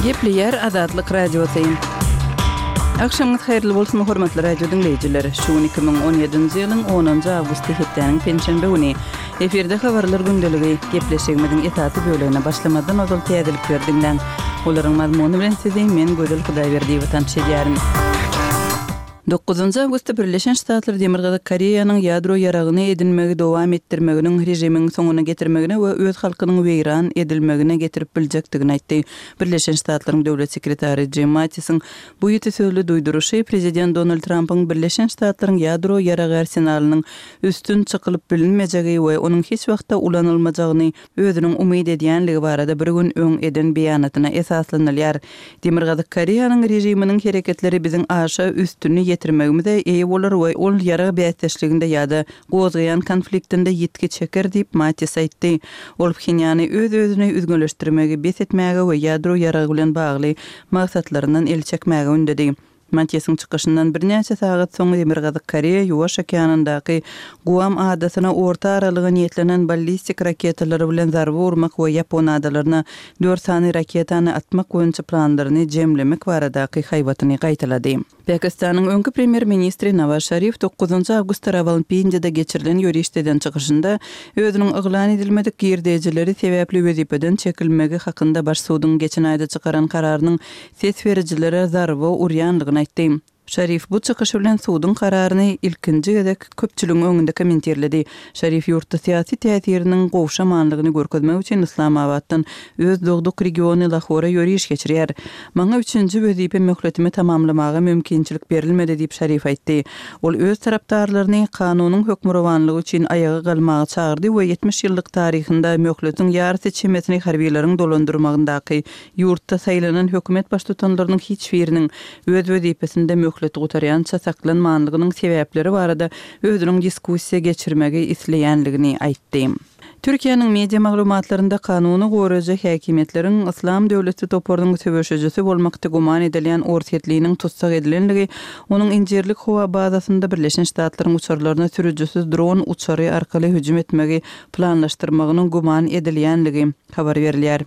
Gepleýär Azatlyk Radiosy. Agşamyňyz haýyrly bolsun, hormatly radio diňleýjiler! Şu gün 2017-nji ýylyň onunjy awgusty hepdäniň penşenbe güni. Efirde habarlar gündeligi. Gepleşigimiziň esasy bölegine başlamazdan ozal täzelikleri diňläň. Olaryň mazmuny bilen sizi men Gözel Hudaýberdiýewa tanyş edýärin. Dokuzynjy awgustda Birleşen Ştatlar Demirgazyk Koreýanyň ýadro ýaragyny edinmegi dowam etdirmeginiň režimiň soňuna getirmegine we öz halkynyň weýran edilmegine getirip biljekdigini aýtdy. Birleşen Ştatlaryň döwlet sekretary Jim Mattisiň bu ýiti sözli duýduryşy prezident Donald Trampyň Birleşen Ştatlaryň ýadro ýaragy arsenalynyň üstün çykylyp bilinmejegi we onuň hiç wagtda ulanylmajagyny özüniň umyt edýänligi barada bir gün öň eden beýanatyna esaslanylýar. Demirgazyk Koreýanyň režiminiň hereketleri biziň aşa üstüni ýetirmegimize eýe bolar we ol ýarag bäsdeşliginde ýa-da gozgaýan konfliktinde ýitgi çeker diýip, Mattis aýtdy. Ol Phenýany öz-özüni üzňeleşdirmegi bes etmäge we ýadro ýaragy bilen bagly maksatlaryndan el çekmäge ündedi. Matisiň çykyşyndan birnäçe sagat soň Demirgazyk Koreýa Ýuwaş okeanyndaky Guam adasyna orta aralyga niýetlenen ballistik raketalary bilen zarba urmak we Ýapon adalaryna dört sany raketany atmak boýunça planlaryny jemlemek baradaky haýbatyny gaýtalady. Pakistanyň öňki premýer-ministri Nawaz Şarif dokuzynjy awgustda Rawalpindide geçirilen ýörişde eden çykyşynda özüniň yglan edilmedik girdejileri sebäpli wezipeden çekilmegi hakynda baş suduň geçen aýda çykaran kararynyň ses berijilere zarba urýandygyny aýtdy. Şarif bu çykyşy bilen suduň kararyny ilkinji gezek köpçüligiň öňünde kommentirledi. Şarif ýurtda syýasy täsiriniň gowşamanlygyny görkezmek üçin Yslamabatdan öz dogduk regiony Lahora ýöriş geçirýär. Maňa üçünji wezipe möhletimi tamamlamaga mümkinçilik berilmedi diýip Şarif aýtdy. Ol öz tarapdarlaryny kanunyň hökmürowanlygy üçin aýaga galmaga çagyrdy we 70 ýyllyk taryhynda möhletiň ýarysy çemesini harbilaryň dolandyrmagyndaky Ýurtda saýlanan hökümet baştutanlarynyň hiç biriniň öz wezipesinde möhleti gutarýança saklanmanlygynyň sebäpleri barada özüniň diskussiýa geçirmegi isleýänligini aýtdy. Türkiýäniň media maglumatlarynda kanuny goraýjy häkimiýetleriň Yslam döwleti toparynyň söweşijisi bolmakda güman edilýän orsýetliniň tussag edilenligi, onuň Injirlik howa bazasynda Birleşen Ştatlaryň uçarlaryna sürüjisiz dron uçary arkaly hüjüm etmegi planlaşdyrmagynyň güman edilýänligi habar berilýär.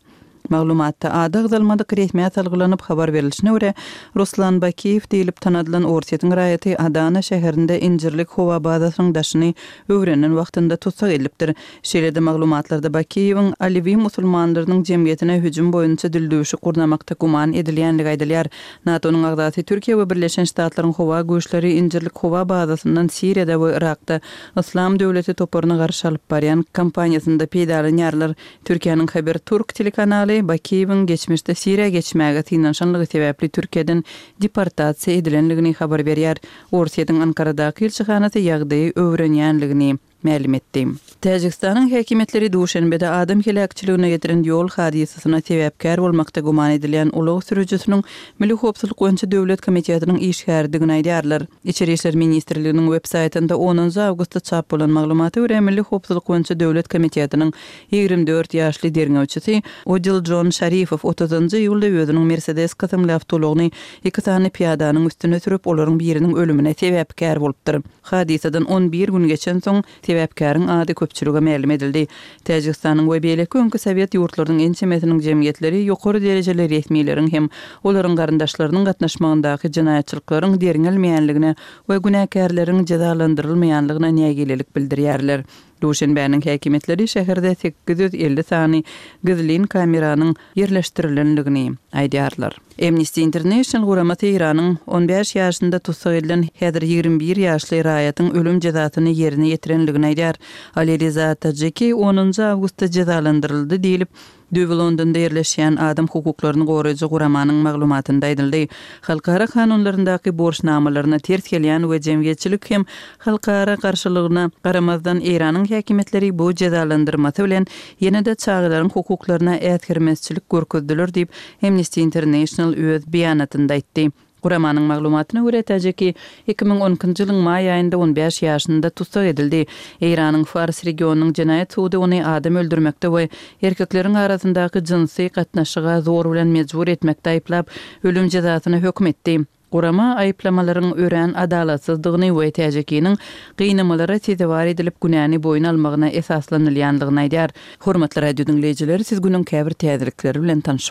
Maglumatda ady agzalmadyk resmä salgylanyp habar berlişine görä, Ruslan Bakiýew diýlip tanadylan Orsýetiň raýaty Adana şäherinde Injirlik howa bazasynyň daşyny öwrenen wagtynda tussag edilipdir. Şeýle-de maglumatlarda Bakiýewiň Alewi musulmanlarynyň jemgyýetine hüjüm boýunça dildüwşük gurnamakda güman edilýänligi aýdylýar. NATO-nyň agzasy Türkiýe we Birleşen Ştatlaryň howa güýçleri Injirlik howa bazasyndan Siriýada we Yrakda Yslam döwleti toparyna garşy alyp barýan kampaniýasynda peýdalanýarlar. Türkiýäniň Haber Turk telekanaly Bakiýewiň geçmişde Siriýa geçmäge synanyşanlygy sebäpli Türkiýeden deportasiýa edilenligini habar berýär. Orsýetiň Ankaradaky ilçihanasy ýagdaýy öwrenýänligini mälim etdi. Täjigistanyň häkimiýetleri Duşenbede adam heläkçiligine getiren ýol hadysasyna sebäpkär bolmakda güman edilýän ulag sürüjisiniň Milli howpsuzlyk boýunça döwlet komitetiniň işgäridigini aýdýarlar. Içeri işler ministrliginiň web saýtynda onunjy awgustda çap bolan maglumata görä, Milli howpsuzlyk boýunça döwlet komitetiniň 24 ýaşly derňewçisi Odiljon Şarifow otuzynjy iýulda özüniň Mersedes kysymly awtoulagyny iki sany pyýadanyň üstüne sürüp, olaryň biriniň ölümine sebäpkär bolupdyr. Hadysadan on bir gün geçensoň, Sebäpkäriň ady köpçülige mälim edildi. Täjigistanyň we beýleki öňki sowet ýurtlarynyň ençemesiniň jemgyýetleri ýokary derejeli resmileriň hem olaryň garyndaşlarynyň gatnaşmagyndaky jenaýatçylyklaryň derňelmeýänligine we günäkärleriň jezalandyrylmaýanlygyna nägilelik bildirýärler. Duşenbäniň häkimiýetleri şäherde 850 sany gizlin kameranyň ýerleşdirilendigini aýdýarlar. Amnesty International guramasy Eýranyň on bäş ýaşynda tussag edilen häzir 21 ýaşly raýatyň ölüm jezasyny ýerine ýetirendigini aýdýar. Ali Riza Tajiki onunjy awgustda jezalandyryldy diýlip, düýbi Londonda ýerleşýän adam hukuklaryny goraýjy guramanyň maglumatynda aýdyldy. Halkara kanunlaryndaky borçnamalaryna ters gelýän we jemgyýetçilik hem halkara garşylygyna garamazdan Eýranyň häkimiýetleri bu jezalandyrmasy bilen ýene-de çagalaryň hukuklaryna äsgermezçilik görkezdiler diýip, Amnesty International öz beýanatynda aýtdy. Guramanyň maglumatyna görä, Täjiki 2012-nji ýylyň maý aýynda on bäş ýaşynda tussag edildi. Eýranyň Fars regionynyň jenaýat sudy ony adam öldürmekde we erkekleriň arasyndaky jynsy gatnaşyga zor bilen mejbur etmekde aýyplap, ölüm jezasyna höküm etdi. Gurama aýyplamalaryň örän adalatsyzdygyny we Täjikiniň gynamalara sezewar edilip günäni boýun almagyna esaslanylýandygyny aýdýar. Hormatly radio diňleýjiler, siz günüň käbir täzelikleri bilen tanyş.